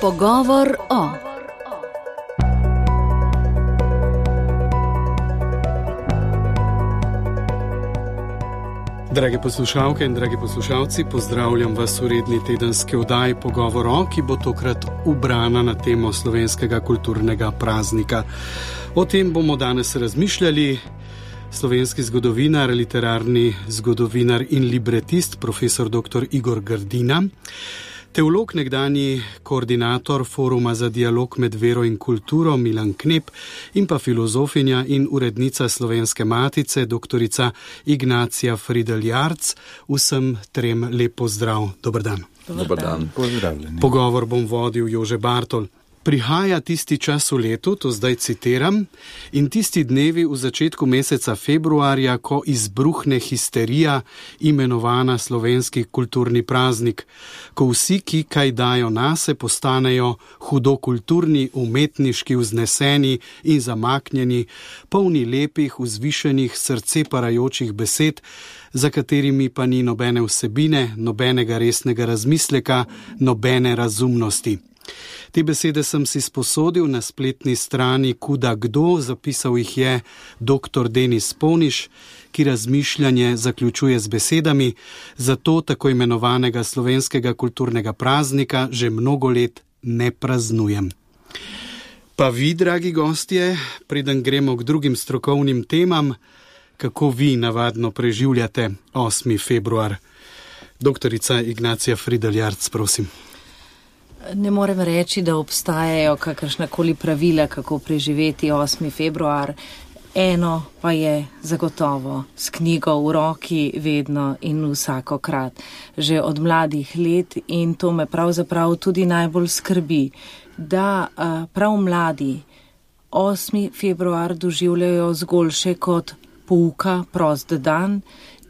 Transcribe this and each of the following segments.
Pogovor o. Drage poslušalke in dragi poslušalci, pozdravljam vas v redni tedenski oddaji Pogovor o, ki bo tokrat ubrana na temo slovenskega kulturnega praznika. O tem bomo danes razmišljali. Slovenski zgodovinar, literarni zgodovinar in libretist, profesor dr. Igor Grdina, teolog, nekdanji koordinator Foruma za dialog med vero in kulturo Milan Knep in pa filozofinja in urednica Slovenske matice, doktorica Ignacija Fridl Jarc. Vsem trem lep pozdrav. Dober dan. Dober dan. Pozdravljeni. Pogovor bom vodil Jože Bartol. Prihaja tisti čas v letu, to zdaj citiram, in tisti dnevi v začetku meseca februarja, ko izbruhne histerija, imenovana slovenski kulturni praznik, ko vsi, ki kaj dajo nase, postanejo hudokulturni, umetniški, vzneseni in zamaknjeni, polni lepih, vzvišenih, srce parajočih besed, za katerimi pa ni nobene vsebine, nobenega resnega razmisleka, nobene razumnosti. Te besede sem si sposodil na spletni strani Kuda Kdo, zapisal jih je dr. Denis Poniš, ki razmišljanje zaključuje z besedami: zato tako imenovanega slovenskega kulturnega praznika že mnogo let ne praznujem. Pa vi, dragi gostje, preden gremo k drugim strokovnim temam, kako vi navadno preživljate 8. februar? Doktorica Ignacija Fridl Jarc, prosim. Ne morem reči, da obstajajo kakršnakoli pravila, kako preživeti 8. februar. Eno pa je zagotovo, s knjigo v roki vedno in vsakokrat, že od mladih let, in to me pravzaprav tudi najbolj skrbi, da prav mladi 8. februar doživljajo zgolj še kot pouka, prost dan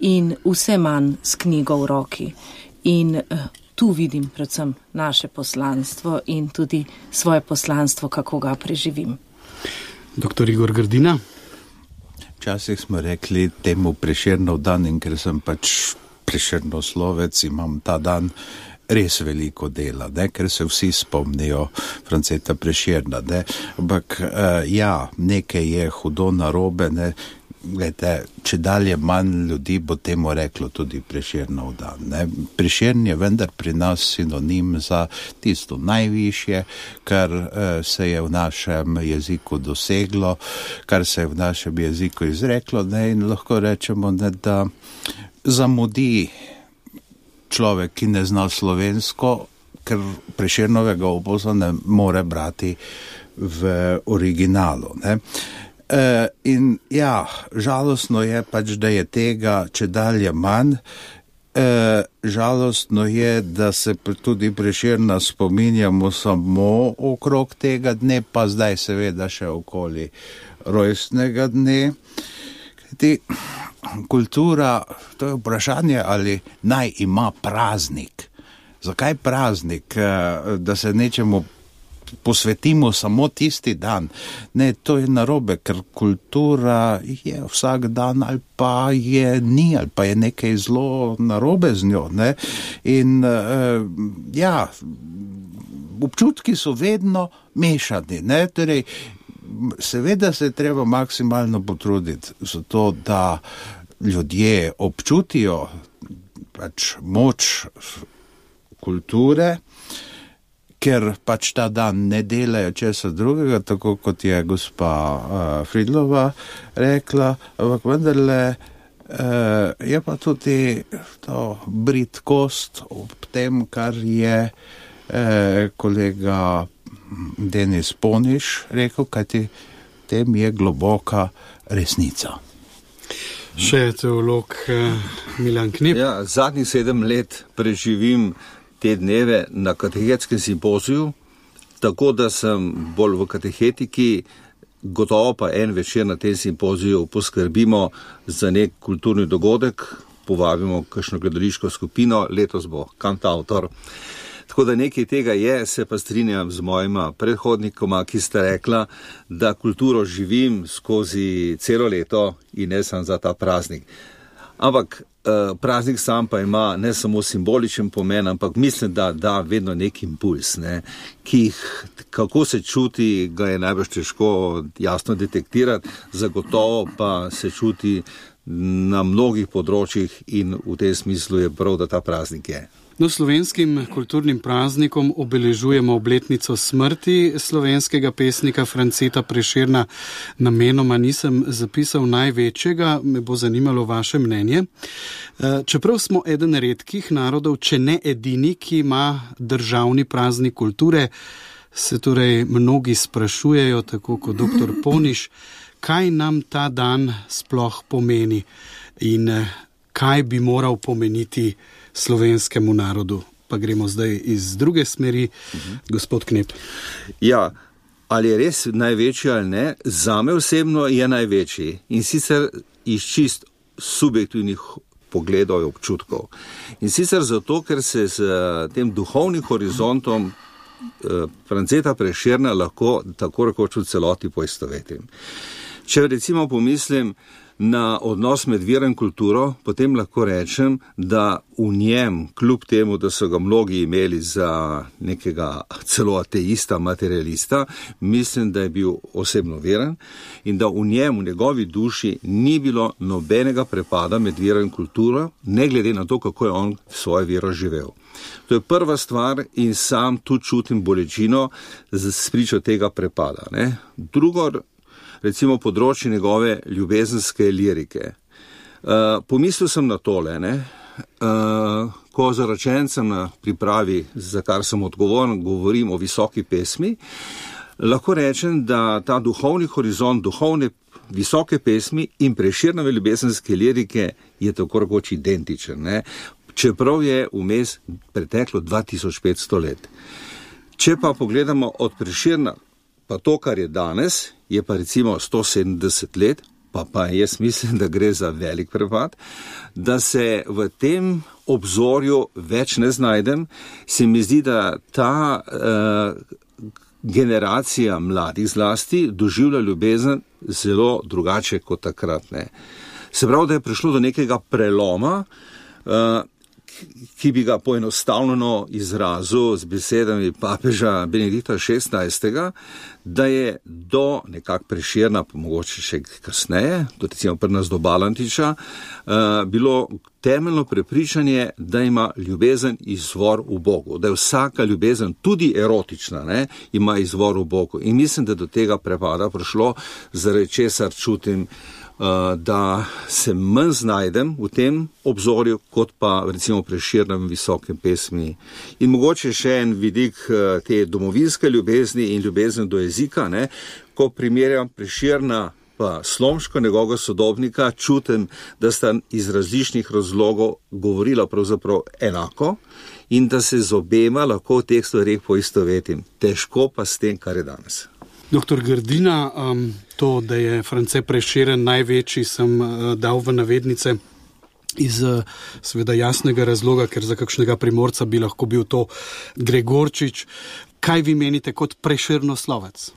in vse manj s knjigo v roki. In tu vidim predvsem naše poslanstvo in tudi svoje poslanstvo, kako ga preživim. Dr. Igor Grdina? Včasih smo rekli temu Prešernov dan, in ker sem pač Prešernov slovec, imam ta dan res veliko dela, ker se vsi spomnijo Franceta Prešerna. Ampak nekaj je hudo narobe, Glede, če dalje manj ljudi bo temu reklo tudi Prešernov dan. Prešern je vendar pri nas sinonim za tisto najvišje, kar se je v našem jeziku doseglo, kar se je v našem jeziku izreklo, in lahko rečemo, da zamudi človek, ki ne zna slovensko, ker Prešernovega opusa ne more brati v originalu. In žalostno je pač, da je tega čedalje manj. Žalostno je, da se tudi Prešerna spominjamo samo okrog tega dne, pa zdaj seveda še okoli rojstnega dne. Kultura, to je vprašanje, ali naj ima praznik. Zakaj praznik? Da se nečemu posvetimo samo tisti dan. Ne, to je narobe, ker kultura je vsak dan, ali pa je ni, ali pa je nekaj zelo narobe z njo. In občutki so vedno mešani. Torej, seveda se treba maksimalno potruditi za to, da ljudje občutijo pač moč kulture, ker pač ta dan ne delajo česa drugega, tako kot je gospa Fridlova rekla, ampak vendarle je pa tudi to bridkost ob tem, kar je kolega Denis Poniš rekel, kajti tem je globoka resnica. Še teolog Milan Knep. Zadnjih 7 let preživim te dneve na katehetskem simpoziju, tako da sem bolj v katehetiki, gotovo pa en večer na tem simpoziju poskrbimo za nek kulturni dogodek, povabimo kakšno gledališko skupino, letos bo kantavtor. Tako da nekaj tega je, se pa strinjam z mojima predhodnikoma, ki sta rekla, da kulturo živim skozi celo leto in ne samo za ta praznik. Ampak praznik sam pa ima ne samo simboličen pomen, ampak mislim, da da vedno nek impuls, ne, ki jih, kako se čuti, ga je najbolj težko jasno detektirati, zagotovo pa se čuti na mnogih področjih in v tem smislu je prav, da ta praznik je. No, slovenskim kulturnim praznikom obeležujemo obletnico smrti slovenskega pesnika Franceta Prešerna. Namenoma nisem zapisal največjega, me bo zanimalo vaše mnenje. Čeprav smo eden redkih narodov, če ne edini, ki ima državni praznik kulture, se torej mnogi sprašujejo, tako kot dr. Poniš, kaj nam ta dan sploh pomeni in kaj bi moral pomeniti slovenskemu narodu. Pa gremo zdaj iz druge smeri. Gospod Knep. Ja, ali je res največji ali ne, zame osebno je največji in sicer iz čist subjektivnih pogledov in občutkov. In sicer zato, ker se s tem duhovnim horizontom Franceta Prešerna lahko tako rekoč v celoti poistovetim. Če recimo pomislim na odnos med vero in kulturo, potem lahko rečem, da v njem, kljub temu, da so ga mnogi imeli za nekega celo ateista, materialista, mislim, da je bil osebno veren in da v njem, v njegovi duši, ni bilo nobenega prepada med vero in kulturo, ne glede na to, kako je on svojo vero živel. To je prva stvar in sam tu čutim bolečino s pričo tega prepada. Ne? Drugo, recimo področje njegove ljubezenske lirike. Pomislil sem na tole, ko zaročencem na pripravi, za kar sem odgovoren, govorim o visoki pesmi, lahko rečem, da ta duhovni horizont, duhovne visoke pesmi in Prešernove ljubezenske lirike je tako rekoč identičen, ne? Čeprav je vmes preteklo 2500 let. Če pa pogledamo od Prešerna, pa to, kar je danes, je pa recimo 170 let, pa jaz mislim, da gre za velik prepad, da se v tem obzorju več ne znajdem, se mi zdi, da ta generacija mladih zlasti doživlja ljubezen zelo drugače kot takrat. Ne. Se pravi, da je prišlo do nekega preloma, ki bi ga poenostavljeno izrazil z besedami papeža Benedikta XVI, da je do nekak Prešerna, pa mogoče še kasneje, do recimo pri nas do Balantiča, bilo temeljno prepričanje, da ima ljubezen izvor v Bogu, da je vsaka ljubezen, tudi erotična, ne, ima izvor v Bogu. In mislim, da do tega prepada prišlo, zaradi česar čutim, da se manj znajdem v tem obzorju, kot pa recimo Prešernem visokem pesmi. In mogoče še en vidik te domovinske ljubezni in ljubezni do jezika, ne, ko primerjam Prešerna pa Slomško, njegovega sodobnika, čutim, da sta iz različnih razlogov govorila pravzaprav enako in da se z obema lahko v teh stvareh poistovetim. Težko pa s tem, kar je danes. Doktor Grdina, to, da je France Prešeren največji, sem dal v navednice iz seveda jasnega razloga, ker za kakšnega Primorca bi lahko bil to Gregorčič. Kaj vi menite kot Prešernoslovec?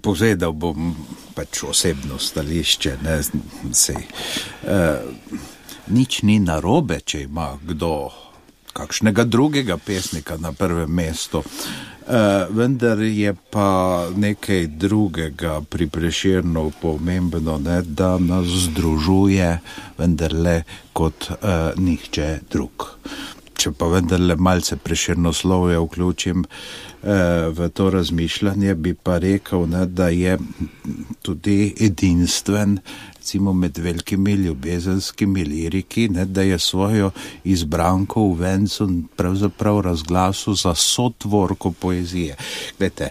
Povedal bom pač osebno stališče, ne, nič ni narobe, če ima kdo kakšnega drugega pesnika na prvem mestu. Vendar je pa nekaj drugega pri Prešernu pomembno, ne, da nas združuje vendarle kot nihče drug. Če pa vendarle malce Prešernoslovja vključim v to razmišljanje, bi pa rekel, ne, da je tudi edinstven, recimo med velikimi ljubezenskimi liriki, ne, da je svojo izbranko v vencu pravzaprav razglasil za sotvorko poezije. Glejte,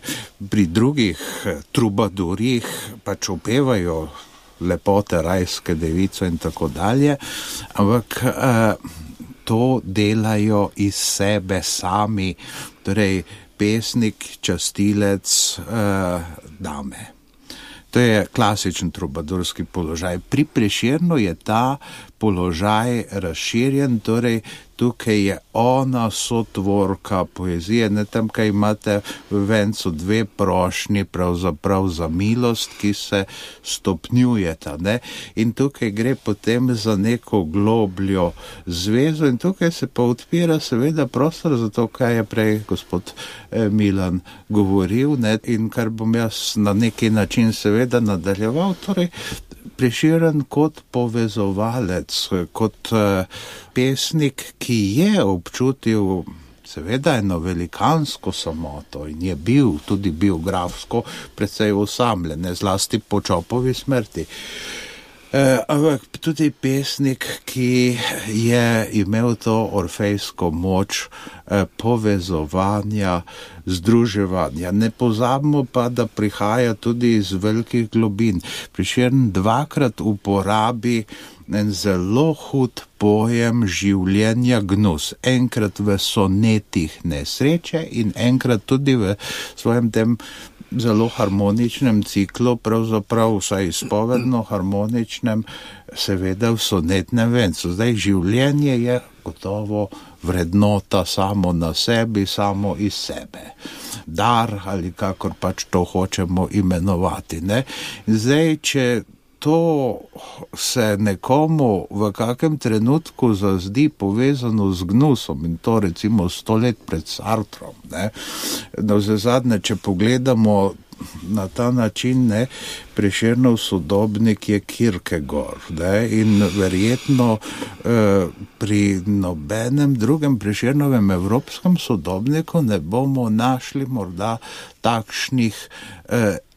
pri drugih trubadurjih pač opevajo lepote rajske device in tako dalje, ampak to delajo iz sebe sami, torej pesnik, častilec, dame. To je klasičen trubadurski položaj. Pri Prešernu je ta položaj razširjen, torej tukaj je ona sotvorka poezije, ne tam, kaj imate v vencu dve prošnji pravzaprav za milost, ki se stopnjujeta, ne? In tukaj gre potem za neko globljo zvezo in tukaj se pa odpira seveda prostor za to, kaj je prej gospod Milan govoril, ne? In kar bom jaz na neki način seveda nadaljeval, torej Prešeren kot povezovalec, kot pesnik, ki je občutil seveda eno velikansko samoto in je bil tudi biografsko precej osamljen, zlasti po Čopovi smrti. Ampak tudi pesnik, ki je imel to orfejsko moč povezovanja, združevanja. Ne pozabimo pa, da prihaja tudi iz velikih globin. Prešeren dvakrat uporabi en zelo hud pojem življenja gnus. Enkrat v sonetih nesreče in enkrat tudi v svojem tem zelo harmoničnem ciklu, pravzaprav vsaj izpovedno harmoničnem, seveda v sonetnem vencu. Zdaj, življenje je gotovo vrednota samo na sebi, samo iz sebe. Dar ali kakor pač to hočemo imenovati, ne? Zdaj, če to se nekomu v kakem trenutku zazdi povezano z gnusom in to recimo 100 let pred Sartrom, ne? Navsezadnje, če pogledamo na ta način, ne, Prešernov sodobnik je Kierkegaard, ne, in verjetno pri nobenem drugem Prešernovem evropskem sodobniku ne bomo našli morda takšnih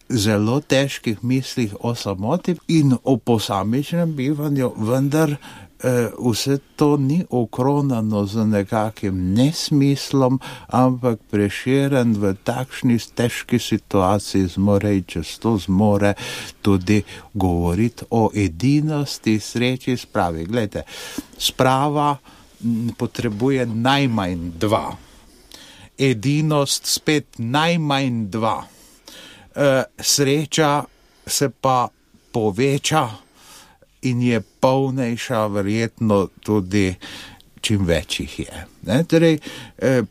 zelo težkih mislih o samoti in o posamičnem bivanju, vendar vse to ni okronano z nekakim nesmislom, ampak Prešeren v takšni težki situaciji zmore in često zmore tudi govoriti o edinosti, sreči, spravi. Glejte, sprava potrebuje najmanj dva. Edinost spet najmanj dva. Sreča se pa poveča in je polnejša verjetno tudi čim več jih je. Torej,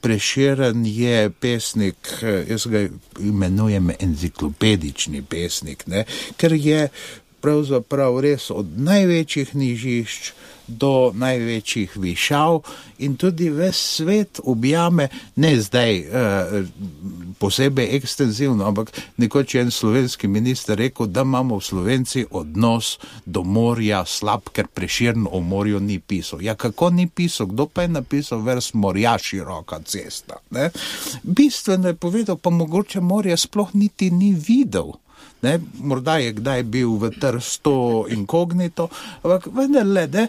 Prešeren je pesnik, jaz ga imenujem enciklopedični pesnik, ne? Ker je pravzaprav res od največjih nižišč do največjih višav in tudi ves svet objame, ne zdaj posebej ekstenzivno, ampak nekoč je en slovenski minister rekel, da imamo v Slovenci odnos do morja slab, ker Prešeren o morju ni pisal. Ja, kako ni pisal? Kdo pa je napisal vers Morja široka cesta? Ne? Bistveno je povedal, pa mogoče morje sploh niti ni videl. Ne, morda je kdaj bil v Trstu inkognito, ampak vendarle, ne,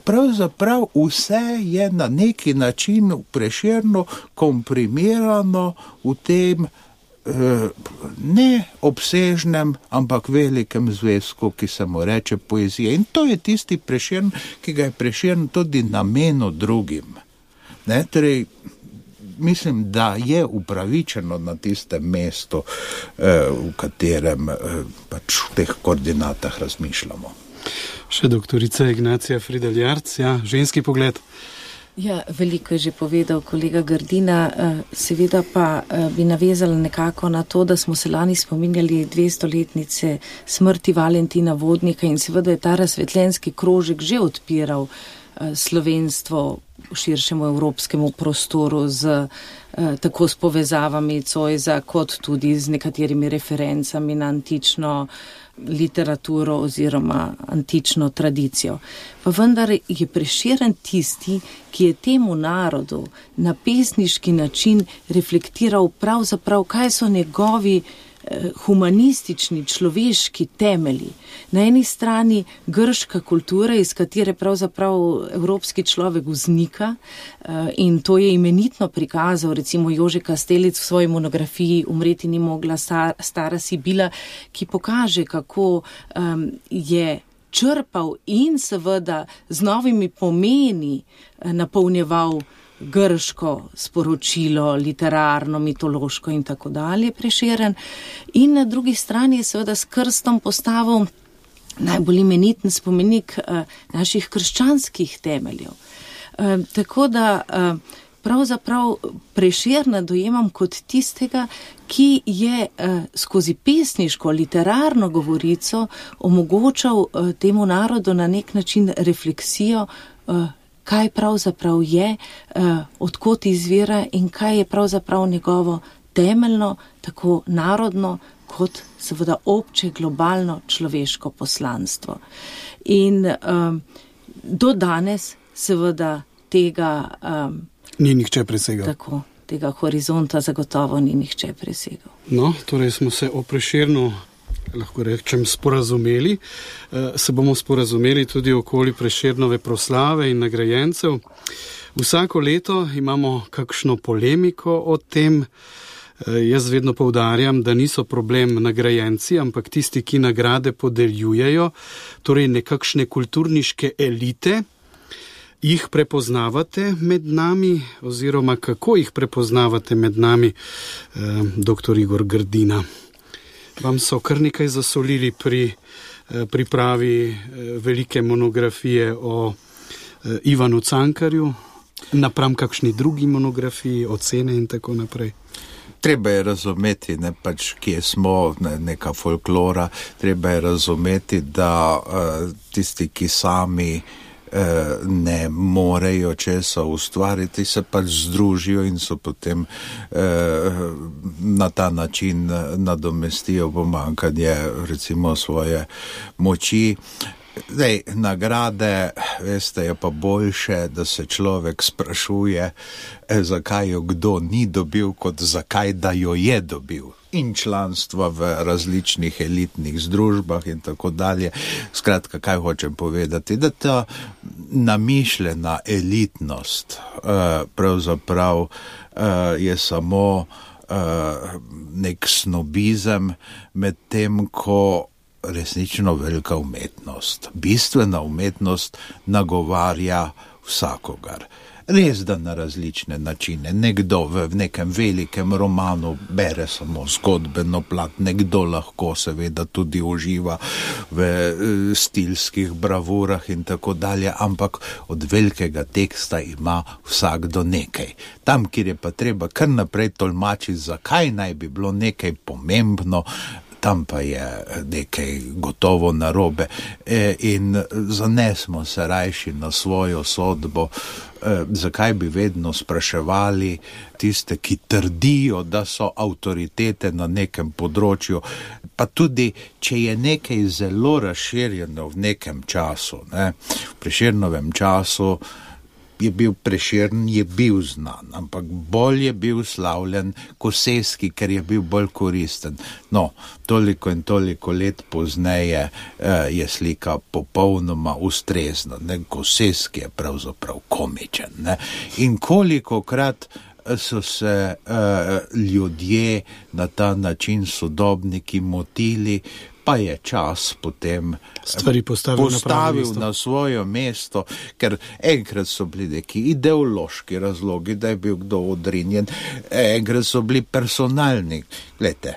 pravzaprav vse je na neki način v Prešernu komprimirano v tem ne obsežnem, ampak velikem zvezku, ki se mu reče poezija. In to je tisti Prešern, ki ga je Prešern tudi namenil drugim. Ne, torej, mislim, da je upravičeno na tistem mestu, v katerem pač v teh koordinatah razmišljamo. Še doktorica Ignacija Fridel Jarc, ja, ženski pogled. Ja, veliko je že povedal kolega Grdina, seveda pa bi navezala nekako na to, da smo se lani spominjali 200-letnice smrti Valentina Vodnika in seveda je ta razsvetljenski krožek že odpiral slovenstvo v širšemu evropskemu prostoru tako s povezavami Zoisa, kot tudi z nekaterimi referencami na antično literaturo oziroma antično tradicijo. Pa vendar je Prešeren tisti, ki je temu narodu na pesniški način reflektiral pravzaprav, kaj so njegovi humanistični, človeški temelji. Na eni strani grška kultura, iz katere pravzaprav evropski človek vznika, in to je imenitno prikazal recimo Jože Kastelic v svoji monografiji Umreti ni mogla stara Sibila, ki pokaže, kako je črpal in seveda z novimi pomeni napolnjeval grško sporočilo, literarno, mitološko in tako dalje Prešeren. In na drugi strani je seveda s krstom postavil najbolj imeniten spomenik naših krščanskih temeljev. Tako da pravzaprav Prešerna dojemam kot tistega, ki je skozi pesniško, literarno govorico omogočal temu narodu na nek način refleksijo, kaj pravzaprav je, odkot izvira in kaj je pravzaprav njegovo temeljno, tako narodno, kot seveda obče globalno človeško poslanstvo. In do danes seveda tega ni nihče presegal. Tako, tega horizonta zagotovo ni nihče presegal. No, torej smo se o Prešernu, lahko rečem, sporazumeli. Se bomo sporazumeli tudi okoli Prešernove proslave in nagrajencev. Vsako leto imamo kakšno polemiko o tem. Jaz vedno poudarjam, da niso problem nagrajenci, ampak tisti, ki nagrade podeljujejo, torej nekakšne kulturniške elite. Jih prepoznavate med nami, oziroma kako jih prepoznavate med nami, dr. Igor Grdina? Vam so kar nekaj zasolili pri pripravi velike monografije o Ivanu Cankarju, napram kakšni drugi monografiji, ocene in tako naprej. Treba je razumeti, ne, pač, kje smo, neka folklora, treba je razumeti, da tisti, ki sami ne morejo česa ustvariti, se pač združijo in so potem na ta način nadomestijo pomanjkanje recimo svoje moči. Zdaj, nagrade, veste, je pa boljše, da se človek sprašuje, zakaj jo kdo ni dobil, kot zakaj da jo je dobil. In članstva v različnih elitnih združbah in tako dalje. Skratka, kaj hočem povedati? Da ta namišljena elitnost pravzaprav je samo nek snobizem, med tem, ko resnično velika umetnost, bistvena umetnost nagovarja vsakogar. Res, da na različne načine. Nekdo v nekem velikem romanu bere samo zgodbeno plat, nekdo lahko seveda tudi uživa v stilskih bravurah in tako dalje, ampak od velikega teksta ima vsakdo nekaj. Tam, kjer je pa treba kar naprej tolmačiti, zakaj naj bi bilo nekaj pomembno, tam pa je nekaj gotovo narobe in zanesmo se rajši na svojo sodbo. Zakaj bi vedno spraševali tiste, ki trdijo, da so avtoritete na nekem področju, pa tudi, če je nekaj zelo razširjeno v nekem času, ne? V Prešernovem času je bil Prešern, je bil znan, ampak bolj je bil slavljen Kosevski, ker je bil bolj koristen. No, toliko in toliko let pozneje je slika popolnoma ustrezna. Kosevski je pravzaprav komičen. Ne? In kolikokrat so se ljudje na ta način sodobniki motili, pa je čas potem stvari postavil na svoje mesto, ker enkrat so bili neki ideološki razlogi, da je bil kdo odrinjen, enkrat so bili personalni. Glejte,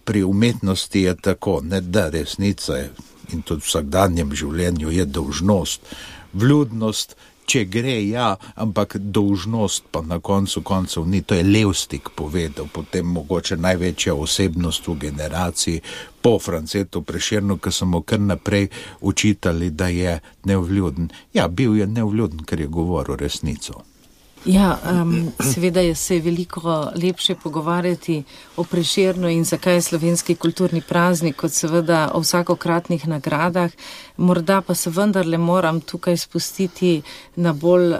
pri umetnosti je tako, ne, da resnica je, in tudi v vsakdanjem življenju je dolžnost, vljudnost, če gre, ja, ampak dolžnost pa na koncu koncev ni. To je Levstik povedal, potem mogoče največja osebnost v generaciji po Francetu Prešernu, ki so mu kar naprej učitali, da je nevljuden. Ja, bil je nevljuden, ker je govoril resnico. Ja, seveda je se veliko lepše pogovarjati o Prešernu in zakaj je slovenski kulturni praznik, kot seveda o vsakokratnih nagradah. Morda pa se vendarle moram tukaj spustiti na bolj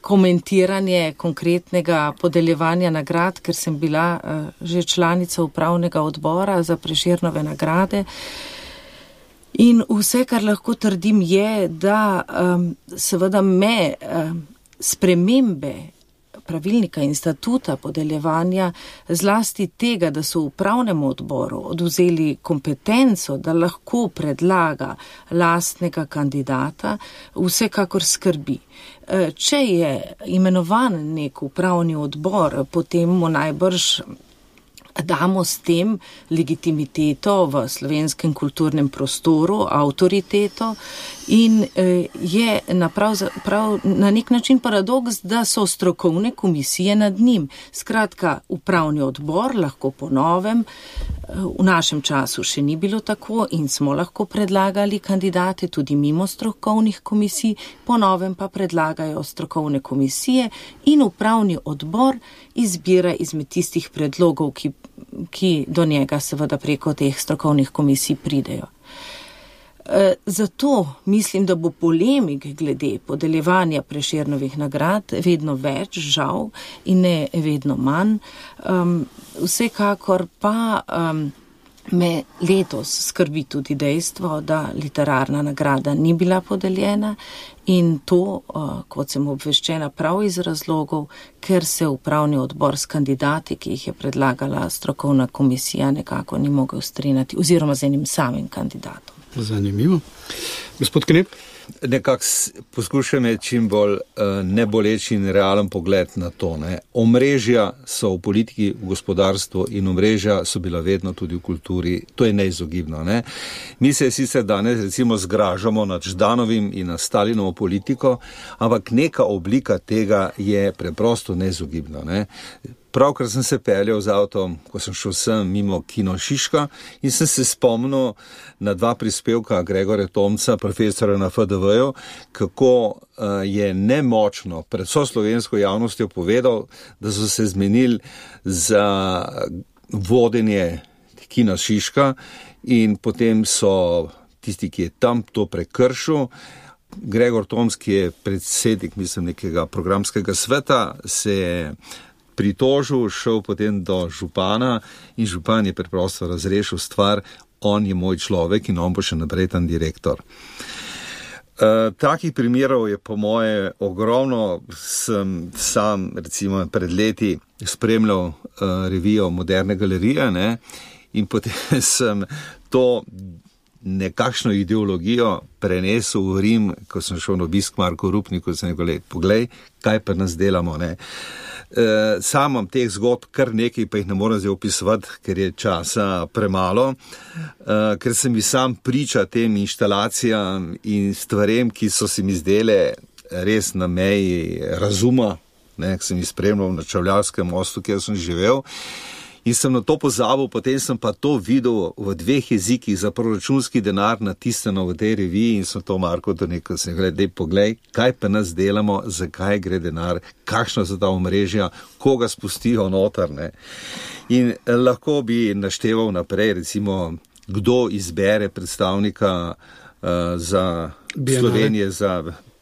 komentiranje konkretnega podeljevanja nagrad, ker sem bila že članica upravnega odbora za Prešernove nagrade. In vse, kar lahko trdim, je, da seveda me spremembe pravilnika in statuta podeljevanja, zlasti tega, da so v upravnem odboru odvzeli kompetenco, da lahko predlaga lastnega kandidata, vsekakor skrbi. Če je imenovan nek upravni odbor, potem mu najbrž damo s tem legitimiteto v slovenskem kulturnem prostoru, avtoriteto In je prav na nek način paradoks, da so strokovne komisije nad njim. Skratka, upravni odbor lahko po novem, v našem času še ni bilo tako in smo lahko predlagali kandidate tudi mimo strokovnih komisij, po novem pa predlagajo strokovne komisije in upravni odbor izbira izmed tistih predlogov, ki do njega seveda preko teh strokovnih komisij pridejo. Zato mislim, da bo polemik glede podeljevanja Prešernovih nagrad vedno več, žal, in ne vedno manj. Vsekakor pa me letos skrbi tudi dejstvo, da literarna nagrada ni bila podeljena in to, kot sem obveščena, prav iz razlogov, ker se upravni odbor s kandidati, ki jih je predlagala strokovna komisija, nekako ni mogel strinjati, oziroma z enim samim kandidatom. Zanimivo. Gospod Knep? Nekako poskušam je čim bolj neboleč in realen pogled na to. Omrežja so v politiki, v gospodarstvu in omrežja so bila vedno tudi v kulturi. To je neizogibno. Ne? Mi se sicer danes recimo zgražamo nad Ždanovim in nad Stalinovo politiko, ampak neka oblika tega je preprosto neizogibna. Ne? Pravkar sem se peljal z avtom, ko sem šel sem mimo Kino Šiška in sem se spomnil na 2 prispevka Gregorja Tomca, profesora na FDV-ju, kako je nemočno pred vso slovensko javnostjo povedal, da so se zmenili za vodenje Kina Šiška in potem so tisti, ki je tam to prekršil. Gregor Tomc, ki je predsednik, mislim, nekega programskega sveta, se je pritožil, šel potem do župana in župan je preprosto razrešil stvar, on je moj človek in on bo še naprej tam direktor. Takih primerov je po moje ogromno. Sem sam recimo pred leti spremljal revijo Moderne galerije, ne? In potem sem to nekakšno ideologijo prenesel v Rim, ko sem šel na obisk Marko Rupniku, sem rekel, poglej, kaj pa nas delamo, ne. Sam imam teh zgodb kar nekaj, pa jih ne moram zdaj opisovati, ker je časa premalo, ker sem mi sam priča tem inštalacijam in stvarem, ki so se mi zdele res na meji razuma, ne, ki sem jih spremljal na Čevljarskem mostu, kjer sem živel. In sem na to pozabil, potem sem pa to videl v 2 jezikih za proračunski denar natisnjeno v tej reviji in sem to Marko do nekaj, sem rekel, poglej, kaj pa nas delamo, zakaj gre denar, kakšna so ta omrežja, koga spustijo noter, ne. In lahko bi našteval naprej, recimo, kdo izbere predstavnika za Slovenije, za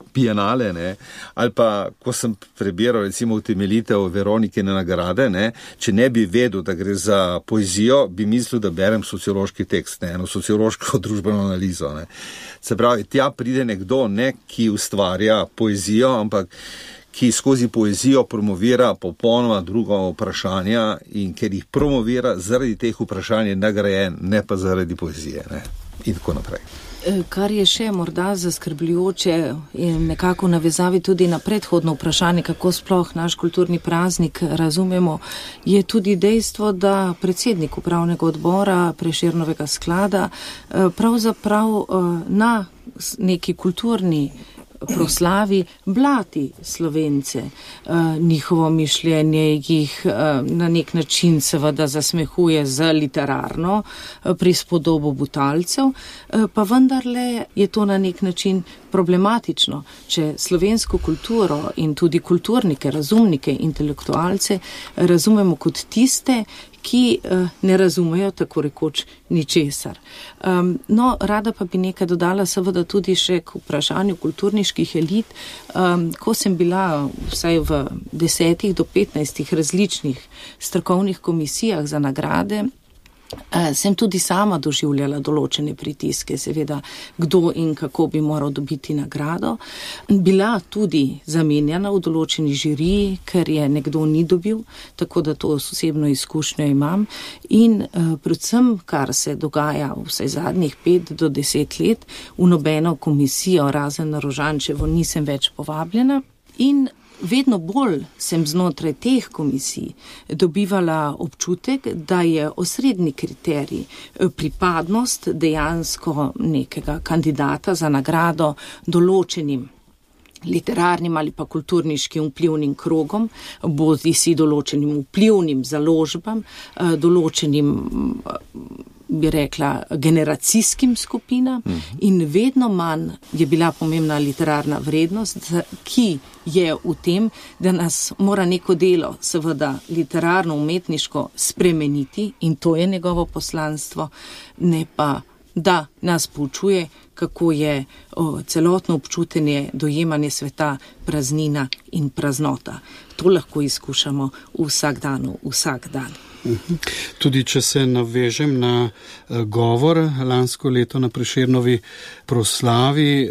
Bienale, ne, ali pa, ko sem prebiral recimo utemeljitev Veronikine nagrade, ne, če ne bi vedel, da gre za poezijo, bi mislil, da berem sociološki tekst, ne, eno sociološko družbeno analizo, ne. Se pravi, tja pride nekdo, ne, ki ustvarja poezijo, ampak ki skozi poezijo promovira popolnoma druga vprašanja in ker jih promovira zaradi teh vprašanj je nagrajen, ne pa zaradi poezije, ne, in tako naprej. Kar je še morda zaskrbljujoče in nekako navezavi tudi na predhodno vprašanje, kako sploh naš kulturni praznik razumemo, je tudi dejstvo, da predsednik upravnega odbora Prešernovega sklada pravzaprav na neki kulturni proslavi blati Slovence, njihovo mišljenje jih na nek način seveda zasmehuje z literarno prispodobo Butalcev, pa vendarle je to na nek način problematično, če slovensko kulturo in tudi kulturnike, razumnike, intelektualce razumemo kot tiste, ki ne razumejo tako rekoč ničesar. No, rada pa bi nekaj dodala seveda tudi še k vprašanju kulturniških elit. Ko sem bila vsaj v 10 do 15 različnih strokovnih komisijah za nagrade, sem tudi sama doživljala določene pritiske, seveda, kdo in kako bi moral dobiti nagrado. Bila tudi zamenjana v določeni žiriji, ker je nekdo ni dobil, tako da to osebno izkušnjo imam. In predvsem, kar se dogaja vsaj zadnjih 5 do 10 let, v nobeno komisijo, razen na Rožančevo, nisem več povabljena. In vedno bolj sem znotraj teh komisij dobivala občutek, da je osrednji kriterij pripadnost dejansko nekega kandidata za nagrado določenim literarnim ali pa kulturniškim vplivnim krogom, bodi si določenim vplivnim založbam, določenim, bi rekla, generacijskim skupinam in vedno manj je bila pomembna literarna vrednost, ki je v tem, da nas mora neko delo, seveda literarno, umetniško spremeniti in to je njegovo poslanstvo, ne pa da nas poučuje, kako je celotno občutenje, dojemanje sveta praznina in praznota. To lahko izkušamo vsak dan. Tudi če se navežem na govor lansko leto na Prešernovi proslavi,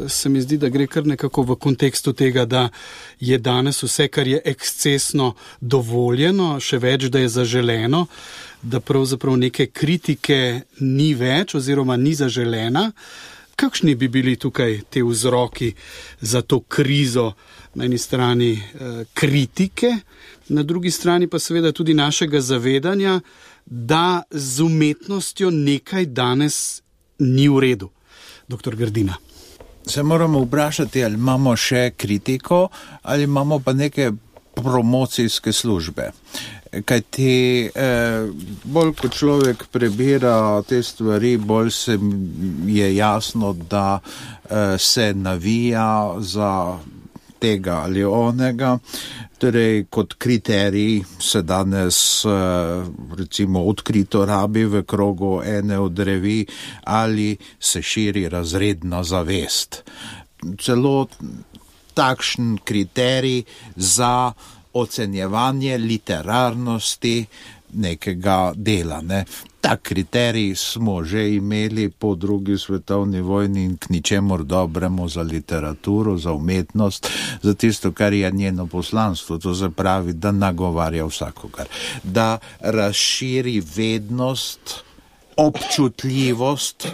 se mi zdi, da gre kar nekako v kontekstu tega, da je danes vse, kar je ekscesno dovoljeno, še več, da je zaželeno, da pravzaprav neke kritike ni več oziroma ni zaželena. Kakšni bi bili tukaj te vzroki za to krizo? Na eni strani kritike, na drugi strani pa seveda tudi našega zavedanja, da z umetnostjo nekaj danes ni v redu. Doktor Grdina. Se moramo vprašati, ali imamo še kritiko ali imamo pa neke promocijske službe. Kaj ti bolj kot človek prebira te stvari, bolj se je jasno, da se navija za tega ali onega, torej kot kriterij se danes recimo odkrito rabi v krogu ene od revij ali se širi razredna zavest. Celo takšen kriterij za ocenjevanje literarnosti nekega dela. Ne. Tak kriterij smo že imeli po drugi svetovni vojni in k ničemur dobremu za literaturo, za umetnost, za tisto, kar je njeno poslanstvo, to se pravi, da nagovarja vsakogar, da razširi vednost, občutljivost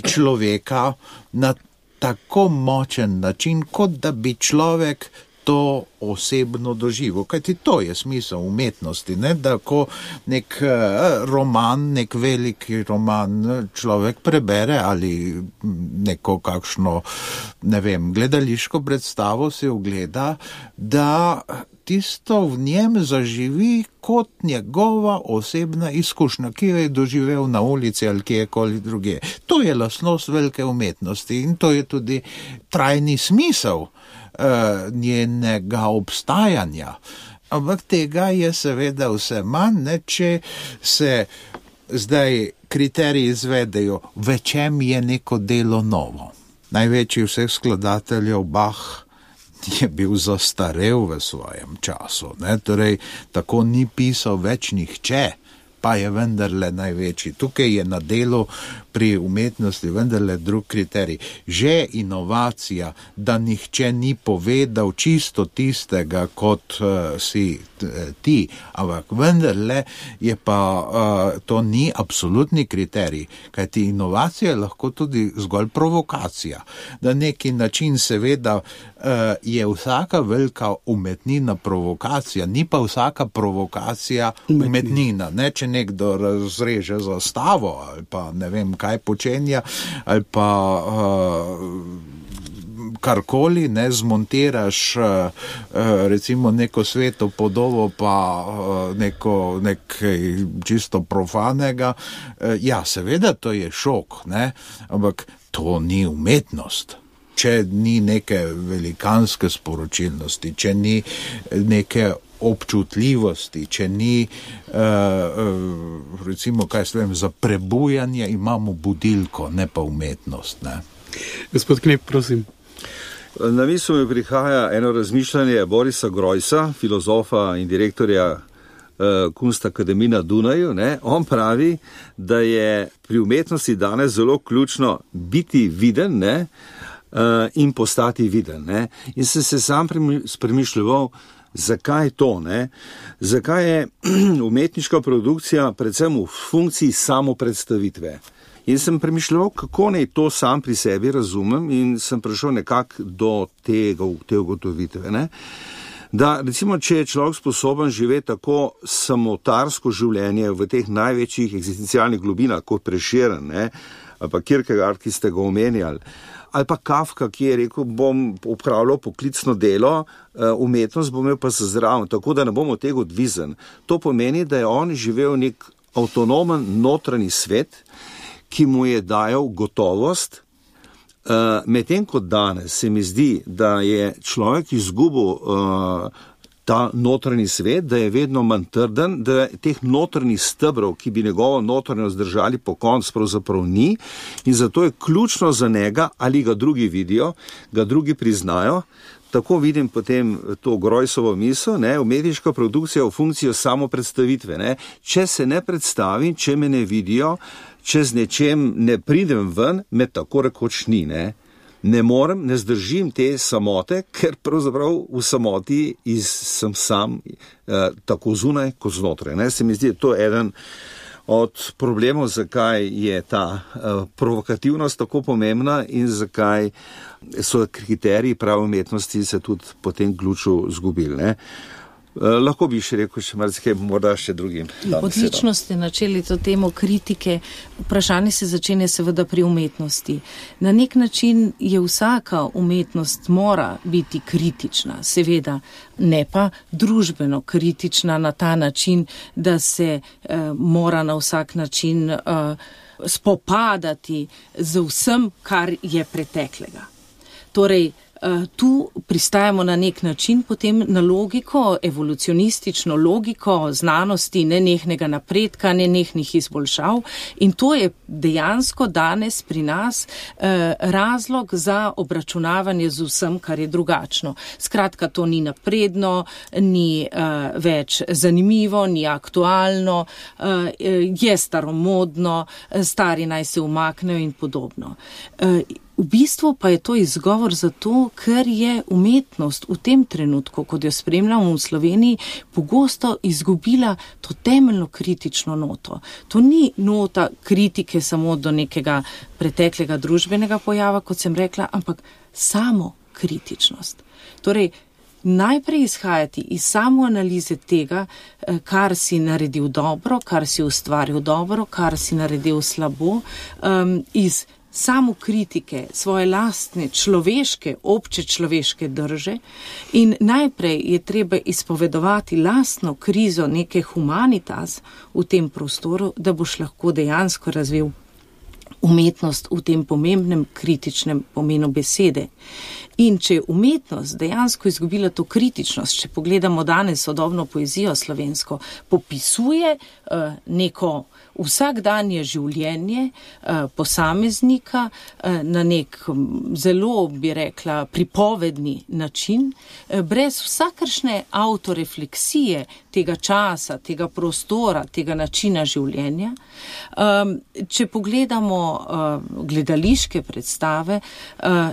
človeka na tako močen način, kot da bi človek to osebno doživel. Kajti to je smisel umetnosti, ne? Da ko nek roman, nek veliki roman človek prebere ali neko kakšno, ne vem, gledališko predstavo si ogleda, da tisto v njem zaživi kot njegova osebna izkušnja, ki jo je doživel na ulici ali kjerkoli druge. To je lastnost velike umetnosti in to je tudi trajni smisel njenega obstajanja. Ampak tega je seveda vse manj, ne, če se zdaj kriteriji izvedejo, v čem je neko delo novo. Največji vseh skladateljev Bach je bil zastarel v svojem času, ne, torej tako ni pisal več nihče, pa je vendarle največji. Tukaj je na delu pri umetnosti vendarle drug kriterij. Že inovacija, da nihče ni povedal čisto tistega, kot si ti, ampak vendarle je pa to ni absolutni kriterij, kajti inovacija je lahko tudi zgolj provokacija. Na neki način seveda je vsaka velika umetnina provokacija, ni pa vsaka provokacija umetnina. Ne, če nekdo razreže zastavo ali pa ne vem kaj počenja ali pa karkoli, ne, zmontiraš recimo neko sveto podobo pa nekaj čisto profanega, ja, seveda to je šok, ne, ampak to ni umetnost. Če ni neke velikanske sporočilnosti, če ni neke občutljivosti, če ni recimo, kaj se vem, za prebujanje imamo budilko, ne pa umetnost. Ne? Gospod Knep, prosim. Na misel mi prihaja eno razmišljanje Borisa Grojsa, filozofa in direktorja Kunstakademije na Dunaju. Ne? On pravi, da je pri umetnosti danes zelo ključno biti viden, ne? In postati viden. Ne? In sem se sam premišljeval, zakaj to, ne? Zakaj je umetniška produkcija predvsem v funkciji samopredstavitve. In sem premišljal, kako naj to sam pri sebi razumem in sem prišel nekako do te ugotovitve. Ne? Da recimo, če je človek sposoben živeti tako samotarsko življenje v teh največjih eksistencialnih globinah, kot Prešeren, ne? Ali pa Kierkegaard, ki ste ga omenjali, ali pa Kafka, ki je rekel, bom opravljal poklicno delo, umetnost bom imel pa se zraven, tako da ne bom od tega odvisen. To pomeni, da je on živel nek avtonomen notranji svet, ki mu je dajal gotovost, medtem kot danes se mi zdi, da je človek izgubil ta notranji svet, da je vedno manj trden, da teh notranjih stebrov, ki bi njegovo notranjost držali po koncu, pravzaprav ni in zato je ključno za njega, ali ga drugi vidijo, ga drugi priznajo. Tako vidim potem to Grojsovo misel, umetniška produkcija v funkcijo samo predstavitve. Ne. Če se ne predstavim, če me ne vidijo, če z nečem ne pridem ven, me tako rekoč ni. Ne morem, ne zdržim te samote, ker pravzaprav v samoti sem sam tako zunaj kot znotraj. Se mi zdi, to je eden od problemov, zakaj je ta provokativnost tako pomembna in zakaj so kriteriji prave umetnosti se tudi po tem ključu zgubili. Lahko bi še rekel še marsikaj, morda še drugim. Odlično ste načeli to temo kritike. Vprašanje se začenja seveda pri umetnosti. Na nek način je vsaka umetnost mora biti kritična, seveda, ne pa družbeno kritična na ta način, da se mora na vsak način spopadati z vsem, kar je preteklega. Torej, tu pristajamo na nek način potem na logiko, evolucionistično logiko znanosti, nenehnega napredka, nenehnih izboljšav in to je dejansko danes pri nas razlog za obračunavanje z vsem, kar je drugačno. Skratka, to ni napredno, ni več zanimivo, ni aktualno, je staromodno, stari naj se umaknejo in podobno. V bistvu pa je to izgovor zato, ker je umetnost v tem trenutku, kot jo spremljamo v Sloveniji, pogosto izgubila to temeljno kritično noto. To ni nota kritike samo do nekega preteklega družbenega pojava, kot sem rekla, ampak samo kritičnost. Torej, najprej izhajati iz samoanalize tega, kar si naredil dobro, kar si ustvaril dobro, kar si naredil slabo, iz samo kritike svoje lastne človeške, obče človeške drže in najprej je treba izpovedovati lastno krizo neke humanitas v tem prostoru, da boš lahko dejansko razvil umetnost v tem pomembnem kritičnem pomenu besede. In če je umetnost dejansko izgubila to kritičnost, če pogledamo danes sodobno poezijo slovensko, popisuje neko vsakdanje življenje posameznika na nek zelo, bi rekla, pripovedni način, brez vsakršne autorefleksije tega časa, tega prostora, tega načina življenja. Če pogledamo gledališke predstave,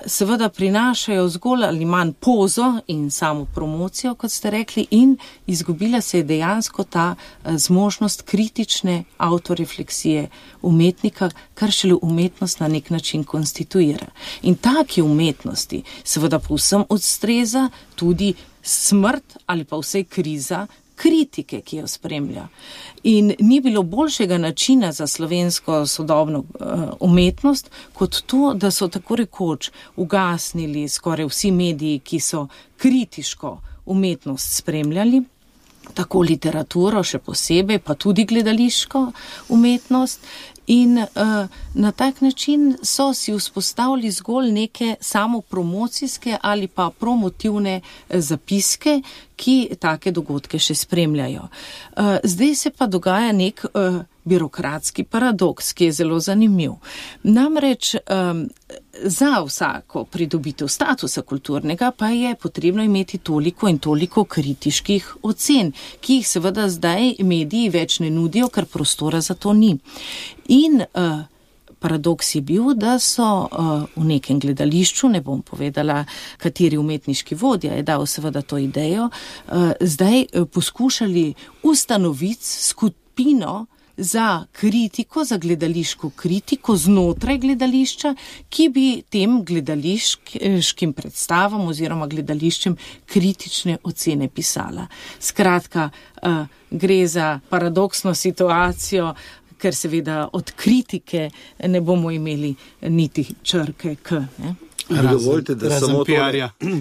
seveda prinašajo zgolj ali manj pozo in samo promocijo, kot ste rekli, in izgubila se je dejansko ta zmožnost kritične autorefleksije umetnika, kar šele umetnost na nek način konstituira. In taki umetnosti seveda povsem odstreza tudi smrt ali pa vsej kriza kritike, ki jo spremlja. In ni bilo boljšega načina za slovensko sodobno umetnost, kot to, da so tako rekoč ugasnili skoraj vsi mediji, ki so kritiško umetnost spremljali, tako literaturo še posebej, pa tudi gledališko umetnost. In na tak način so si vzpostavili zgolj neke samopromocijske ali pa promotivne zapiske, ki take dogodke še spremljajo. Zdaj se pa dogaja nek birokratski paradoks, ki je zelo zanimiv. Namreč za vsako pridobitev statusa kulturnega pa je potrebno imeti toliko in toliko kritiških ocen, ki jih seveda zdaj mediji več ne nudijo, ker prostora za to ni. In paradoks je bil, da so v nekem gledališču, ne bom povedala, kateri umetniški vodja je dal seveda to idejo, zdaj poskušali ustanoviti skupino za kritiko, za gledališko kritiko znotraj gledališča, ki bi tem gledališkim predstavam oziroma gledališčem kritične ocene pisala. Skratka, gre za paradoksno situacijo, ker seveda od kritike ne bomo imeli niti črke K. Ne? Dovolite, da samo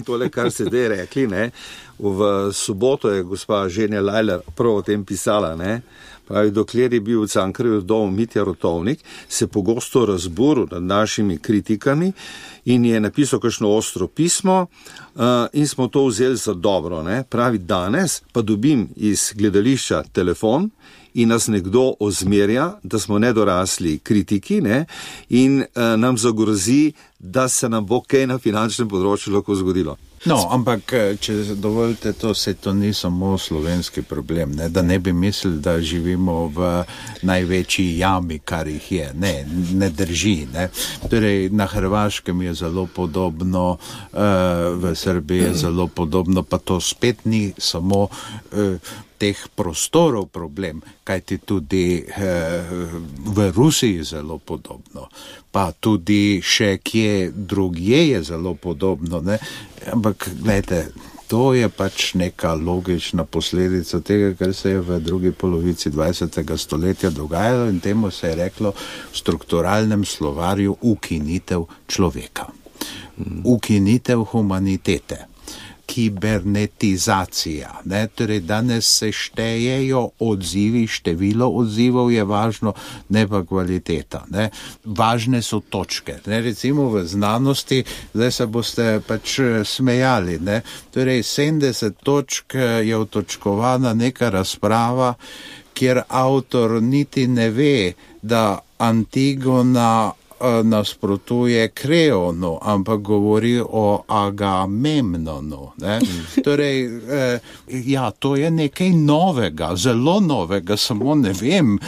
tole, kar ste zdaj rekli, ne? V soboto je gospa Ženja Lajler prav o tem pisala, ne? Pravi, dokler je bil v Cankarjevem domu Mitja Rotovnik, se pogosto razburil nad našimi kritikami in je napisal kakšno ostro pismo in smo to vzeli za dobro. Ne? Pravi, danes pa dobim iz gledališča telefon in nas nekdo ozmerja, da smo nedorasli kritiki, ne? In nam zagrozi, da se nam bo kaj na finančnem področju lahko zgodilo. No, ampak, če dovolite, to ni samo slovenski problem, ne? Da ne bi mislili, da živimo v največji jami, kar jih je. Ne drži. Ne? Torej, na Hrvaškem je zelo podobno, v Srbiji je zelo podobno, pa to spet ni samo teh prostorov problem, kajti tudi v Rusiji zelo podobno, pa tudi še kje drugje je zelo podobno, ne? Ampak, gledajte, to je pač neka logična posledica tega, kar se je v drugi polovici 20. stoletja dogajalo in temu se je reklo v strukturalnem slovarju ukinitev človeka, ukinitev humanitete. Kibernetizacija. Ne? Torej, danes se štejejo odzivi, število odzivov je važno, ne pa kvaliteta. Ne? Važne so točke. Ne? Recimo v znanosti, zdaj se boste pač smejali. Ne? Torej, 70 točk je otočkovana neka razprava, kjer avtor niti ne ve, da Antigona nasprotuje Kreonu, ampak govori o Agamemnonu. Ne? Torej, to je nekaj novega, zelo novega, samo ne vem.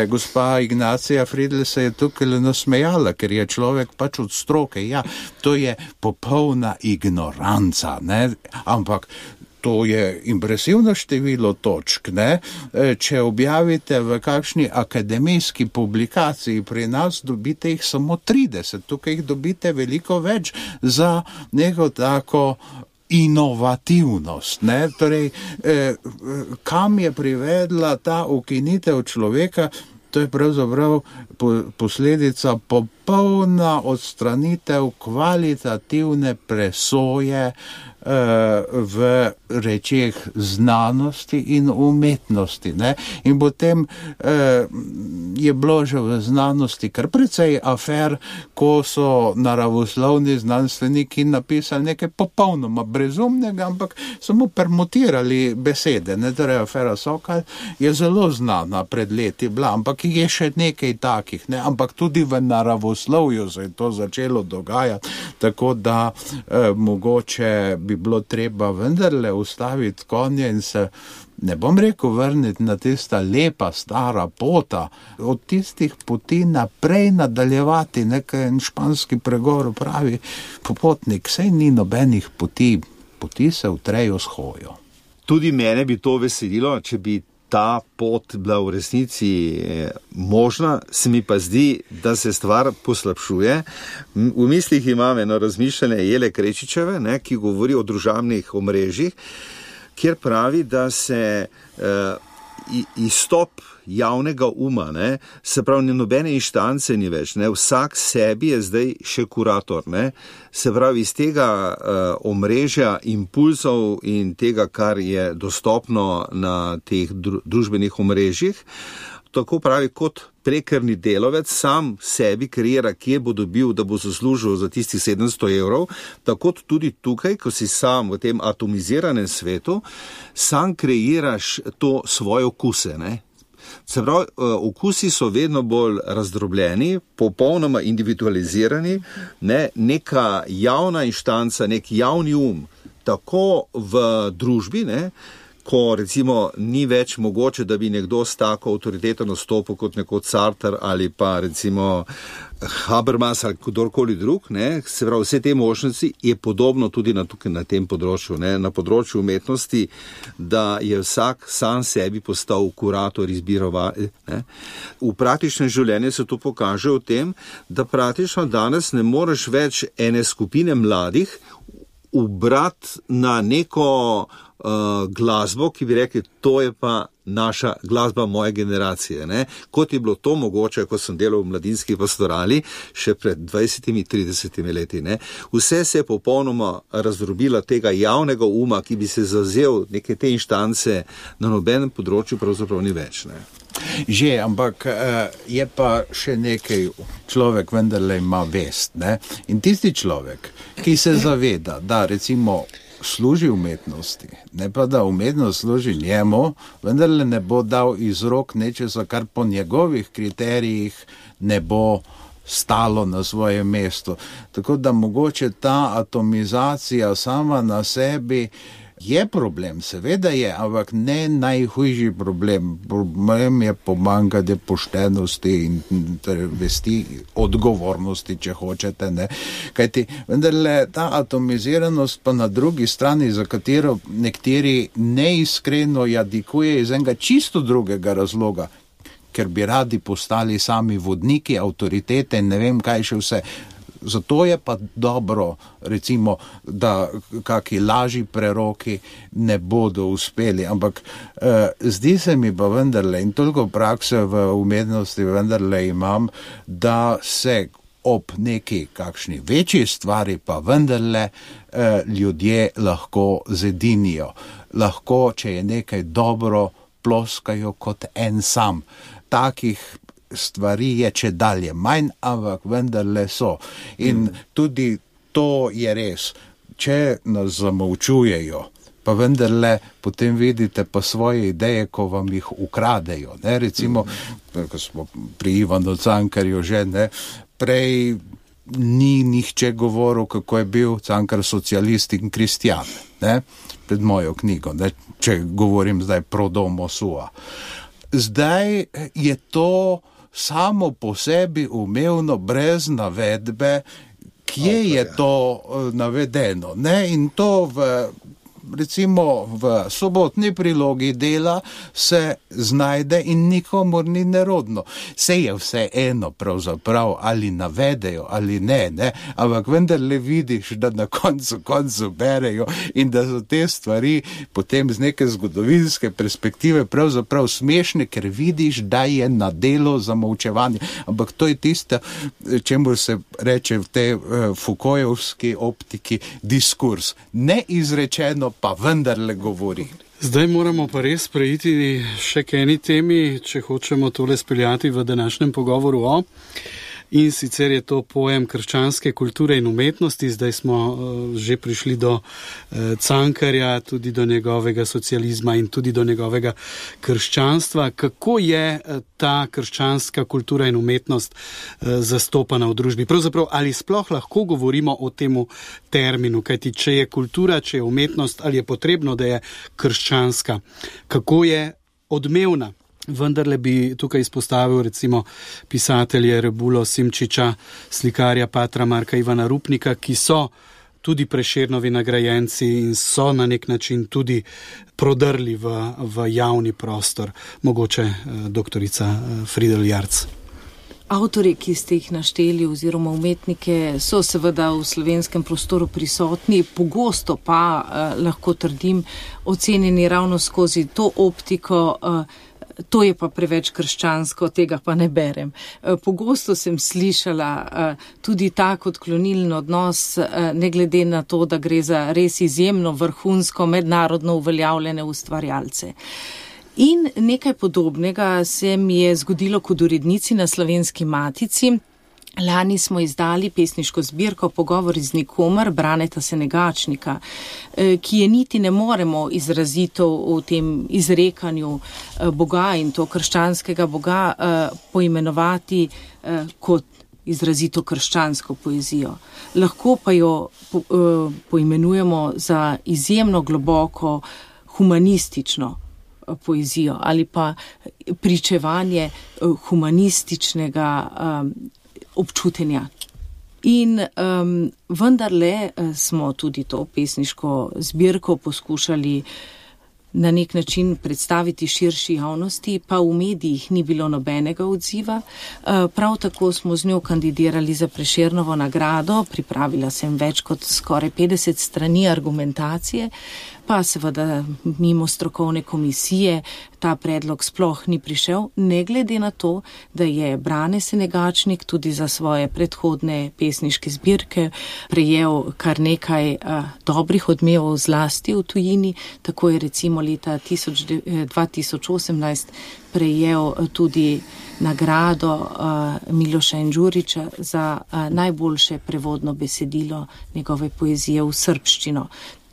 Gospa Ignacija Friedl se je tukaj nasmejala, ker je človek pač od stroke. Ja, to je popolna ignoranca, ne? Ampak to je impresivno število točk, ne? Če objavite v kakšni akademijski publikaciji pri nas, dobite jih samo 30, tukaj jih dobite veliko več za neko tako inovativnost. Ne? Torej, kam je privedla ta ukinitev človeka? To je pravzaprav posledica popolna odstranitev kvalitativne presoje v rečeh znanosti in umetnosti. Ne? In potem je bilo že v znanosti kar precej afer, ko so naravoslovni znanstveniki napisali nekaj popolnoma brezumnega, ampak samo permutirali besede. Ne? Torej, afera Sokal je zelo znana pred leti bila, ampak je še nekaj takih. Ne? Ampak tudi v naravoslovju se je to začelo dogajati, tako da mogoče bi bilo treba vendarle ustaviti konje in se, ne bom rekel, vrniti na tista lepa stara pota, od tistih poti naprej nadaljevati. Nekaj španski pregovor pravi, popotnik, saj ni nobenih poti se utrejo s hojo. Tudi mene bi to veselilo, če bi ta pot bila v resnici možna, se mi pa zdi, da se stvar poslabšuje. V mislih imam eno razmišljanje Jele Krečičeve, ne, ki govori o družabnih omrežjih, kjer pravi, da se izstop javnega uma, ne, se pravi, nobene inštance ni več, ne, vsak sebi je zdaj še kurator, ne, se pravi, iz tega omrežja impulzov in tega, kar je dostopno na teh družbenih omrežjih, tako pravi, kot prekarni delovec sam sebi kreira, kje bo dobil, da bo zaslužil za tistih 700 evrov, tako tudi tukaj, ko si sam v tem atomiziranem svetu, sam kreiraš to svoje okuse, ne. Se pravi, okusi so vedno bolj razdrobljeni, popolnoma individualizirani, ne, neka javna inštanca, nek javni tako v družbi, ne, ko recimo ni več mogoče, da bi nekdo s tako avtoriteto nastopil kot nekoč Sartre ali pa recimo Habermas ali kdorkoli drug, ne, se pravi, vse te možnosti je podobno tudi tukaj na tem področju, ne, na področju umetnosti, da je vsak sam sebi postal kurator, izbirovalec. V praktičnem življenju se to pokaže v tem, da praktično danes ne moreš več ene skupine mladih ubrati na neko glasbo, ki bi rekli, to je pa naša glasba moje generacije. Ne? Kot je bilo to mogoče, ko sem delal v mladinski pastorali, še pred 20-30 leti. Ne? Vse se je popolnoma razdrobila tega javnega uma, ki bi se zavzel neke te inštance, na nobenem področju pravzaprav ni več. Ne? Že, ampak je pa še nekaj, človek vendarle ima vest. Ne? In tisti človek, ki se zaveda, da recimo služi umetnosti, ne pa da umetnost služi njemu, vendarle ne bo dal iz rok nečesa, kar po njegovih kriterijih ne bo stalo na svojem mestu. Tako da mogoče ta atomizacija sama na sebi je problem, seveda je, ampak ne najhujši problem. Problem je pomanjkanje poštenosti in vesti, odgovornosti, če hočete. Ne. Kajti vendarle ta atomiziranost pa na drugi strani, za katero nekateri neiskreno jadikuje iz enega čisto drugega razloga, ker bi radi postali sami vodniki, avtoritete in ne vem kaj še vse. Zato je pa dobro, recimo, da kaki lažji preroki ne bodo uspeli, ampak zdi se mi pa vendarle, in toliko prakse v umetnosti vendarle imam, da se ob neki kakšni večji stvari pa vendarle ljudje lahko zedinijo. Lahko, če je nekaj dobro, ploskajo kot en sam. Takih stvari je če dalje manj, ampak vendarle so. In tudi to je res. Če nas zamolčujejo, pa vendarle potem vidite pa svoje ideje, ko vam jih ukradejo. Ne? Recimo, ko smo pri Ivanu Cankarju že, ne? Prej ni nihče govoril, kako je bil Cankar socialist in kristjan, ne? Pred mojo knjigo, ne? Če govorim zdaj pro domo sua. Zdaj je to samo po sebi umevno, brez navedbe, kje je to navedeno. Ne? In to recimo v sobotni prilogi Dela se znajde in nikomur ni nerodno. Se je vse eno pravzaprav, ali navedejo ali ne, ampak vendarle vidiš, da na koncu berejo in da so te stvari potem z neke zgodovinske perspektive pravzaprav smešne, ker vidiš, da je na delo zamolčevanje. Ampak to je tisto, čemu se reče v tej Foucaultovski optiki diskurs. Neizrečeno pa vendarle govori. Zdaj moramo pa res preiti še k eni temi, če hočemo tole speljati v današnjem pogovoru o. In sicer je to pojem krščanske kulture in umetnosti. Zdaj smo že prišli do Cankarja, tudi do njegovega socializma in tudi do njegovega krščanstva. Kako je ta krščanska kultura in umetnost zastopana v družbi? Pravzaprav, ali sploh lahko govorimo o temu terminu? Kajti, če je kultura, če je umetnost, ali je potrebno, da je krščanska? Kako je odmevna? Vendarle bi tukaj izpostavil recimo pisatelje Rebulo Simčiča, slikarja patra Marka Ivana Rupnika, ki so tudi Prešernovi nagrajenci in so na nek način tudi prodrli v javni prostor. Mogoče doktorica Friedel Jarc. Avtorji, ki ste jih našteli oziroma umetnike, so seveda v slovenskem prostoru prisotni, pogosto pa, lahko trdim, ocenjeni ravno skozi to optiko, to je pa preveč krščansko, tega pa ne berem. Pogosto sem slišala tudi tak odklonilen odnos, ne glede na to, da gre za res izjemno vrhunsko mednarodno uveljavljene ustvarjalce. In nekaj podobnega se mi je zgodilo kot urednici na Slovenski matici. Lani smo izdali pesniško zbirko Pogovori z nikomer Braneta Senegačnika, ki je niti ne moremo izrazito v tem izrekanju Boga in to krščanskega Boga poimenovati kot izrazito krščansko poezijo. Lahko pa jo poimenujemo za izjemno globoko, humanistično poezijo ali pa pričevanje humanističnega občutenja. In vendarle smo tudi to pesniško zbirko poskušali na nek način predstaviti širši javnosti, pa v medijih ni bilo nobenega odziva. Prav tako smo z njo kandidirali za Prešernovo nagrado, pripravila sem več kot skoraj 50 strani argumentacije, pa seveda mimo strokovne komisije ta predlog sploh ni prišel, ne glede na to, da je Brane Senegačnik tudi za svoje predhodne pesniške zbirke prejel kar nekaj dobrih odmevov zlasti v tujini. Tako je recimo leta 2018 prejel tudi nagrado Miloša Enđuriča za najboljše prevodno besedilo njegove poezije v srbščino.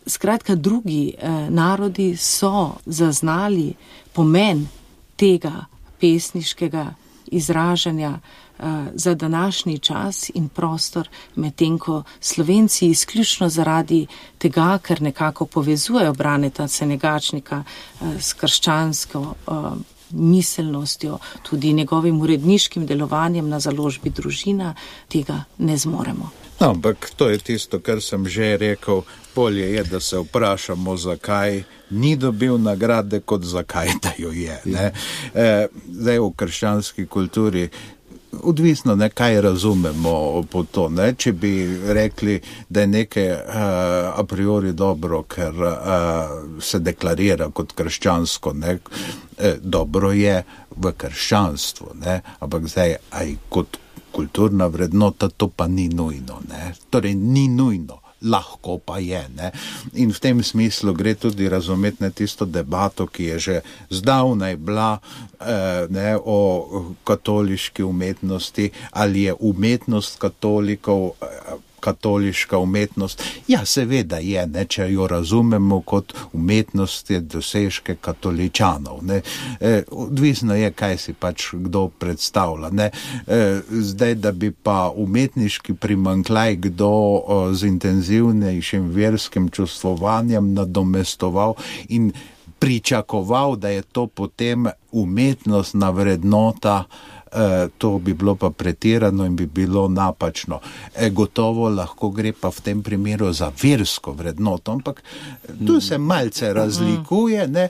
Skratka, drugi narodi so zaznali pomen tega pesniškega izražanja za današnji čas in prostor, medtem ko Slovenci izključno zaradi tega, ker nekako povezujejo Braneta Senegačnika s krščansko miselnostjo, tudi njegovim uredniškim delovanjem na založbi Družina, tega ne zmoremo. No, ampak to je tisto, kar sem že rekel, bolje je, da se vprašamo, zakaj ni dobil nagrade, kot zakaj da jo je. Ne? Zdaj v krščanski kulturi odvisno, ne, kaj razumemo po to. Ne? Če bi rekli, da je nekaj a priori dobro, ker se deklarira kot krščansko, ne? Dobro je v krščanstvu, ne? Ampak zdaj aj kot kulturna vrednota, to pa ni nujno, ne? Torej ni nujno, lahko pa je, ne? In v tem smislu gre tudi razumeti tisto debato, ki je že zdavnaj bila ne, o katoliški umetnosti, ali je umetnost katolikov katoliška umetnost. Ja, seveda je, ne, če jo razumemo kot umetnost je dosežke katoličanov. Ne. Odvisno je, kaj si pač kdo predstavlja. Ne. Zdaj, da bi pa umetniški primanjkljaj kdo z intenzivnejšim verskim čustvovanjem nadomestoval in pričakoval, da je to potem umetnostna vrednota, to bi bilo pa pretirano in bi bilo napačno. Gotovo lahko gre pa v tem primeru za versko vrednoto, ampak tu se malce razlikuje, ne,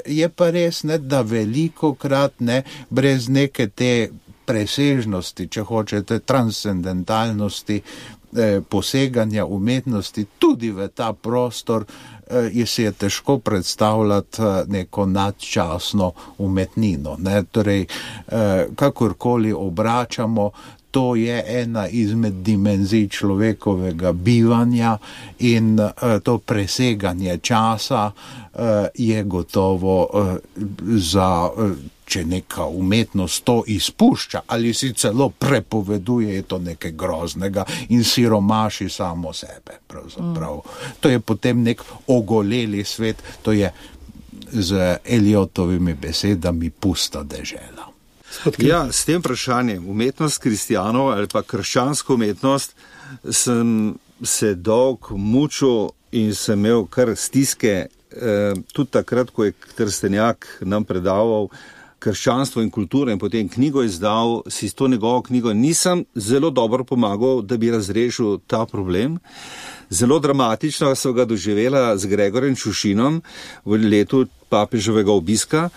je pa res, ne, da velikokrat, ne, brez neke te presežnosti, če hočete, transcendentalnosti, poseganja umetnosti tudi v ta prostor, si je težko predstavljati neko nadčasno umetnino. Ne? Torej, kakorkoli obračamo, to je ena izmed dimenzij človekovega bivanja in to preseganje časa je gotovo za če neka umetnost to izpušča ali si celo prepoveduje, je to nekaj groznega in siromaši samo sebe. Pravzaprav. To je potem nek ogoleli svet, to je z Eliotovimi besedami pusta dežela. Ja, s tem vprašanjem umetnost kristijanov ali pa krščansko umetnost sem se dolg mučil in sem imel kar stiske, tudi takrat, ko je Trstenjak nam predaval krščanstvo in kulturo in potem knjigo izdal, si s to njegovo knjigo nisem zelo dobro pomagal, da bi razrešil ta problem. Zelo dramatično so ga doživela z Gregorjem Čušinom v letu papeževega obiska,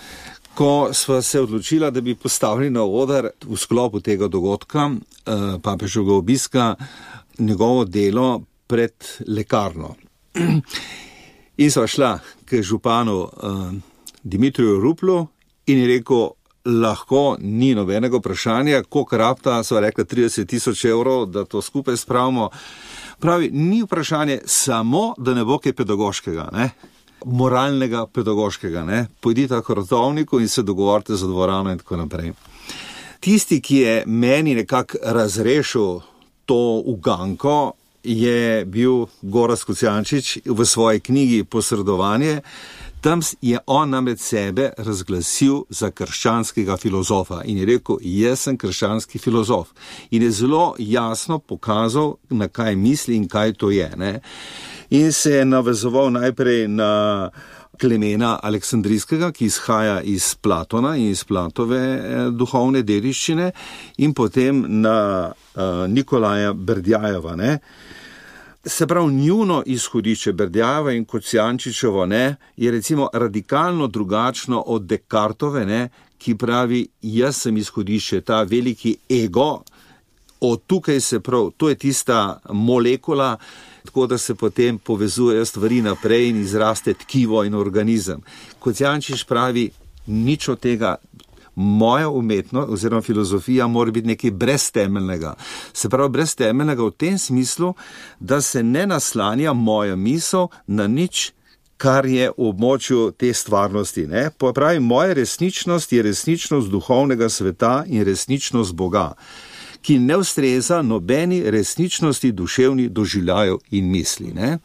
ko sva se odločila, da bi postavili na oder v sklopu tega dogodka, papeževega obiska, njegovo delo pred lekarno. In sva šla k županu Dimitriju Ruplu in je rekel, lahko ni nobenega vprašanja, koliko rabta, sva rekla 30,000 evrov, da to skupaj spravimo. Pravi, ni vprašanje samo, da ne bo kaj pedagoškega, ne? Moralnega pedagoškega, ne? Pojdite k rodovniku in se dogovorite za dvorano in tako naprej. Tisti, ki je meni nekako razrešil to uganko, je bil Gorazd Kocijančič v svoji knjigi Posredovanje. Tam je on namreč sebe razglasil za krščanskega filozofa in je rekel, jaz sem krščanski filozof. In je zelo jasno pokazal, na kaj misli in kaj to je. Ne? In se je navezoval najprej na Klemena Aleksandrijskega, ki izhaja iz Platona in iz Platove duhovne dediščine, in potem na Nikolaja Berdjajeva, ne. Se pravi, njuno izhodišče Berdjajeva in Kocijančičevo, ne, je recimo radikalno drugačno od Descartove, ne, ki pravi, jaz sem izhodišče, ta veliki ego, od tukaj se prav, to je tista molekula, tako da se potem povezujejo stvari naprej in izraste tkivo in organizem. Kocijančič pravi, nič od tega, moja umetnost oziroma filozofija mora biti nekaj breztemeljnega. Se pravi, breztemeljnega v tem smislu, da se ne naslanja moja misel na nič, kar je v območju te stvarnosti. Ne? Pravi, moja resničnost je resničnost duhovnega sveta in resničnost Boga, ki ne ustreza nobeni resničnosti duševnih doživljajev in misli. Ne?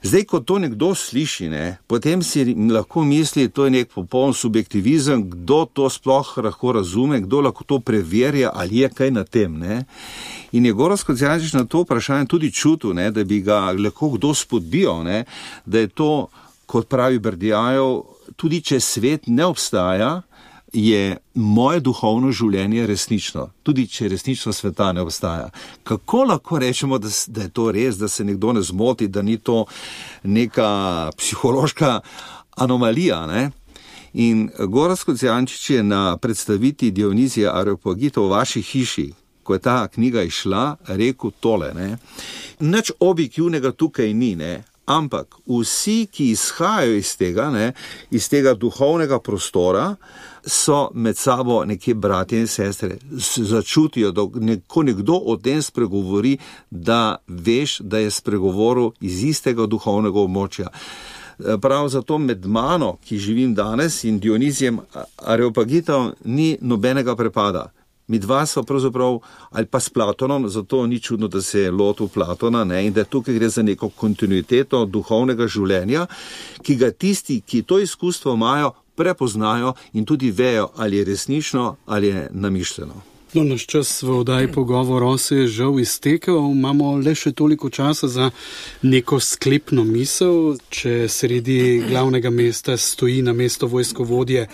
Zdaj, ko to nekdo sliši, ne, potem si lahko misli, to je nek popoln subjektivizem, kdo to sploh lahko razume, kdo lahko to preverja, ali je kaj na tem. Ne? In je Gorazd Kocijančič na to vprašanje tudi čutil, ne, da bi ga lahko kdo spodbijal, ne, da je to, kot pravi Berdjajev, tudi če svet ne obstaja, je moje duhovno življenje resnično, tudi če resnično sveta ne obstaja. Kako lahko rečemo, da je to res, da se nekdo ne zmoti, da ni to neka psihološka anomalija, ne? In Gorazd Kocijančič je na predstaviti Dionizija Areopagita v vaši hiši, ko je ta knjiga išla, rekel tole, ne? Nič objektivnega tukaj ni, ne? Ampak vsi, ki izhajajo iz tega, ne, iz tega duhovnega prostora, so med sabo nekje bratje in sestre. Začutijo, da ko nekdo o tem spregovori, da veš, da je spregovoril iz istega duhovnega območja. Prav zato med mano, ki živim danes, in Dionizijem Areopagitom ni nobenega prepada. Mi dva so pravzaprav, ali pa s Platonom, zato ni čudno, da se je lotil Platona, ne, in da tukaj gre za neko kontinuiteto duhovnega življenja, ki ga tisti, ki to izkustvo imajo, prepoznajo in tudi vejo, ali je resnično ali je namišljeno. No, naš čas v oddaji Pogovor se je žal iztekel, imamo le še toliko časa za neko sklepno misel. Če sredi glavnega mesta stoji na mesto vojskovodje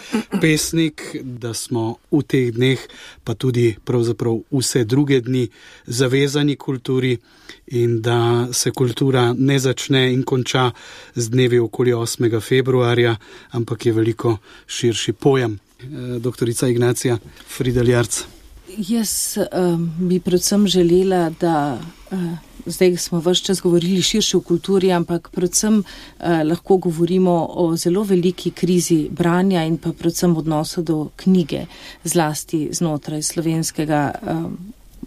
pesnik, da smo v teh dneh, pa tudi pravzaprav vse druge dni, zavezani kulturi in da se kultura ne začne in konča z dnevi okoli 8. februarja, ampak je veliko širši pojem. Doktorica Ignacija Fridl Jarc. Jaz bi predvsem želela, da zdaj smo ves čas govorili širše o kulturi, ampak predvsem lahko govorimo o zelo veliki krizi branja in pa predvsem odnosu do knjige, zlasti znotraj slovenskega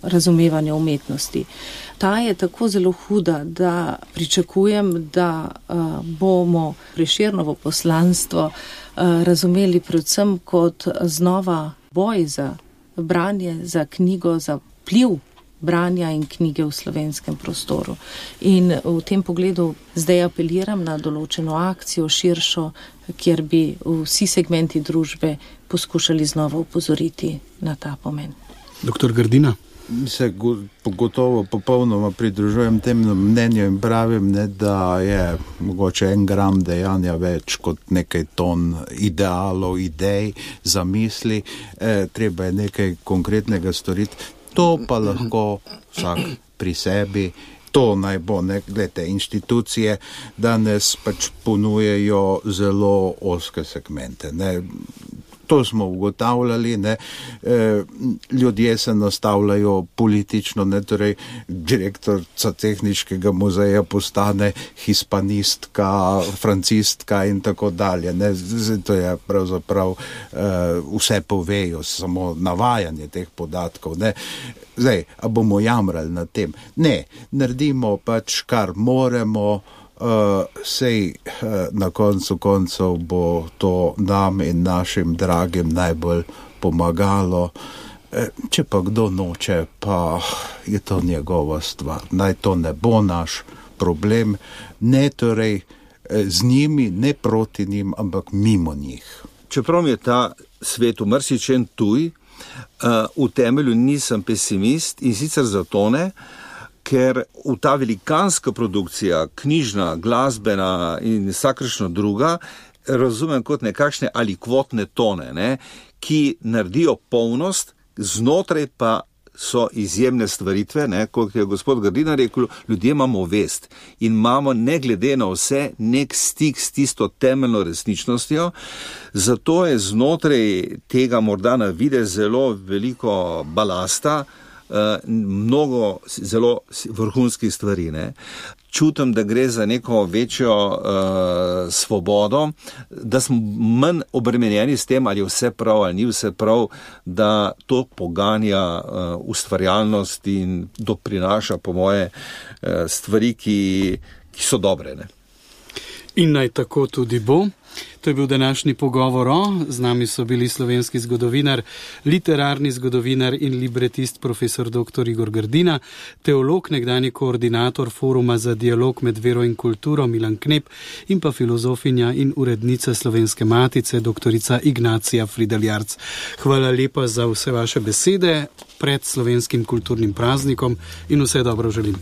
razumevanja umetnosti. Ta je tako zelo huda, da pričakujem, da bomo Prešernovo poslanstvo razumeli predvsem kot znova boj za branje, za knjigo, za vpliv branja in knjige v slovenskem prostoru. In v tem pogledu zdaj apeliram na določeno akcijo širšo, kjer bi vsi segmenti družbe poskušali znova upozoriti na ta pomen. Doktor Grdina. Se gotovo popolnoma pridružujem temu mnenju in pravim, ne, da je mogoče 1 gram dejanja več kot nekaj ton idealov, idej, zamisli, treba je nekaj konkretnega storiti. To pa lahko vsak pri sebi, to naj bo, ne, gledajte, institucije danes pač ponujejo zelo ozke segmente, ne. To smo ugotavljali, ne, ljudje se nastavljajo politično, ne, torej direktorica tehniškega muzeja postane hispanistka, francistka in tako dalje, ne, to je pravzaprav vse povejo, samo navajanje teh podatkov, ne. Zdaj, a bomo jamrali na tem? Ne, naredimo pač, kar moremo, sej na koncu koncev bo to nam in našim dragim najbolj pomagalo. Če pa kdo noče, pa je to njegova stvar. Naj to ne bo naš problem, ne torej z njimi, ne proti njim, ampak mimo njih. Čeprav mi je ta svet v marsičem tuj, v temelju nisem pesimist in sicer zato ne, ker v ta velikanska produkcija, knjižna, glasbena in vsakršno druga, razumem kot nekakšne ali kvotne tone, ne, ki naredijo polnost, znotraj pa so izjemne stvaritve, ne, kot je gospod Grdina rekel, ljudje imamo vest in imamo ne glede na vse nek stik s tisto temeljno resničnostjo, zato je znotraj tega morda na videz zelo veliko balasta, mnogo zelo vrhunskih stvari, ne. Čutim, da gre za neko večjo svobodo, da smo manj obremenjeni s tem, ali je vse prav ali ni vse prav, da to poganja ustvarjalnost in doprinaša po moje stvari, ki so dobre, ne. In naj tako tudi bo. To je bil današnji pogovor z nami so bili slovenski zgodovinar, literarni zgodovinar in libretist profesor dr. Igor Grdina, teolog, nekdanji koordinator Foruma za dialog med vero in kulturo Milan Knep in pa filozofinja in urednica Slovenske matice dr. Ignacija Frideljarc. Hvala lepa za vse vaše besede pred slovenskim kulturnim praznikom in vse dobro želim.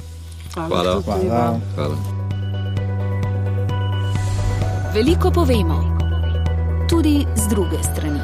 Hvala. Veliko povemo, tudi z druge strani.